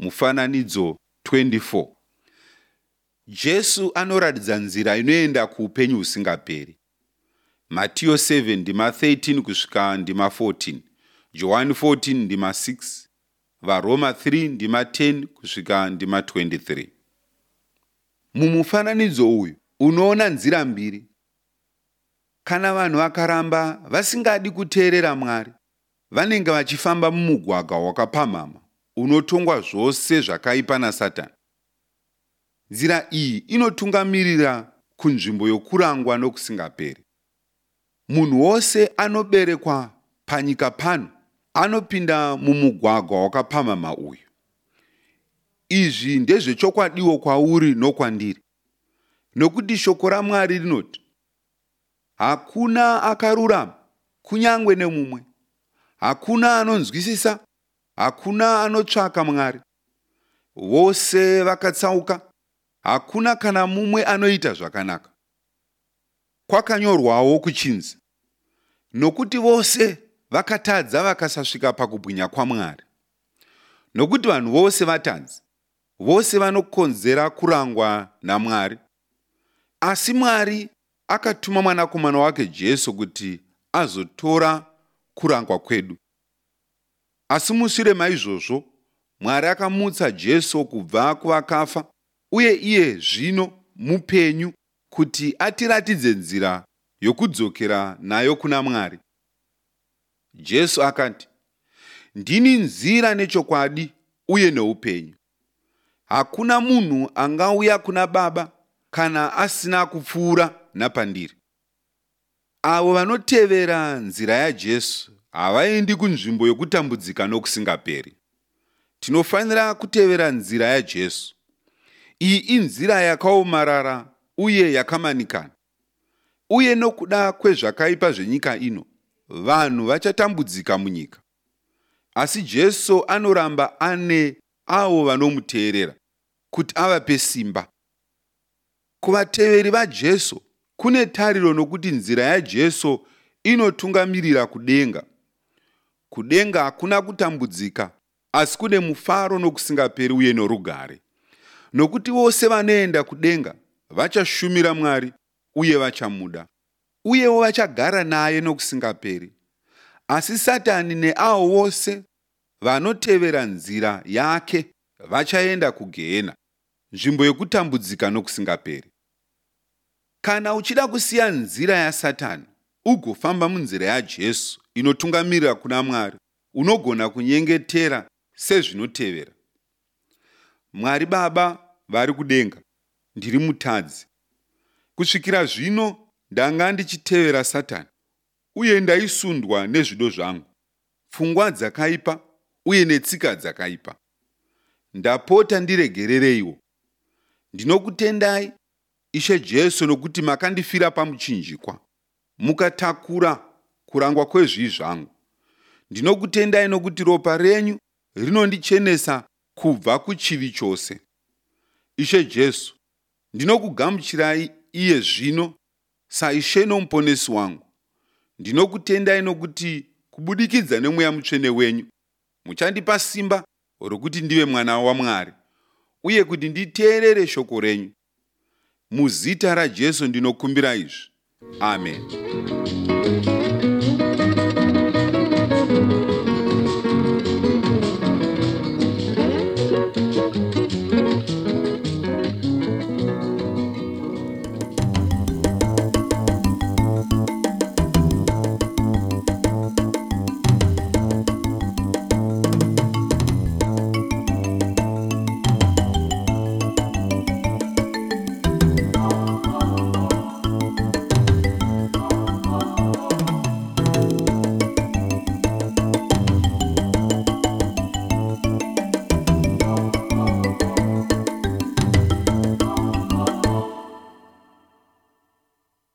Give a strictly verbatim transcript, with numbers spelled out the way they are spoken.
Mufananidzo twenty four. Jesu anoratidza nzira inoenda kuupenyu husingaperi. Matiyo seven ndima thirteen kusvika ndima fourteen, Johani fourteen ndima six, VaRoma three ndima ten kusvika ndima twenty three. Mumufananidzo uyu unoona nzira mbiri. Kana vanhu vakaramba vasingadi kuteerera Mwari, vanenge vachifamba mumugwagwa wakapamhama unotongwa zvose zvakaipa naSatani. Nzira iyi inotungamirira kunzvimbo yokurangwa nokusingaperi. Munhu wose anoberekwa panyika pano anopinda mumugwagwa wakapamhama uyu. Izvi ndezvechokwadiwo kwauri nokwandiri, nokuti shoko raMwari rinoti, hakuna akarurama kunyange nemumwe, hakuna anonzwisisa, hakuna anotsvaka Mwari. Vose vakatsauka, hakuna kana mumwe anoita zvakanaka. Kwakanyorwawo kuchinzi, nokuti vose vakatadza vakasasvika pakubwinya kwaMwari. Nokuti vanhu vose vatadzi, vose vanokonzera kurangwa naMwari. Asi Mwari akatuma mwanakomana wake Jesu kuti azotora kurangwa kwedu. Asi mushure maizvozvo, Mwari akamutsa Jesu kubva kuvakafa, uye iye zvino mupenyu kuti atiratidze nzira yokudzokera nayo kuna Mwari. Jesu akati, ndini nzira nechokwadi uye neupenyu. Hakuna munhu angauya kuna Baba kana asina kupfuura napandiri. Avo vanotevera nzira yaJesu havaendi kunzvimbo yokutambudzika nokusingaperi. Tinofanira kutevera nzira yaJesu. Iyi inzira yakaomarara uye yakamanikana. Uye nokuda kwezvakaipa zvenyika ino, vanhu vachatambudzika munyika. Asi Jesu anoramba ane avo vanomuteerera kuti avape simba. Kuvateveri vaJesu kune tariro nokuti nzira yaJesu inotungamirira kudenga. Kudenga hakuna kutambudzika, asi kune mufaro nokusingaperi uye norugare. Nokuti vose vanoenda kudenga vachashumira Mwari uye vachamuda, uyewo vachagara naye nokusingaperi. Asi Satani neavo vose vanotevera nzira yake vachaenda kugehena, nzvimbo yokutambudzika nokusingaperi. Kana uchida kusiya nzira yaSatani ugofamba munzira yaJesu inotungamirira kuna Mwari, unogona kunyengetera sezvinotevera. Mwari Baba vari kudenga, ndiri mutadzi. Kusvikira zvino ndanga ndichitevera Satani, uye ndaisundwa nezvido zvangu, pfungwa dzakaipa uye netsika dzakaipa. Ndapota ndiregerereiwo. Ndinokutendai, Ishe Jesu, nokuti makandifira pamuchinjikwa, mukatakura kurangwa kwezvivi zvangu. Ndinokutendai nokuti ropa renyu rinondichenesa kubva kuchivi chose. Ishe Jesu, ndinokugamuchirai iye zvino saIshe nomuponesi wangu. Ndinokutendai nokuti kubudikidza neMweya Mutsvene wenyu muchandipa simba rokuti ndive mwana waMwari uye kuti nditeerere shoko renyu. Muzita raJesu ndinokumbira izvi. Amen.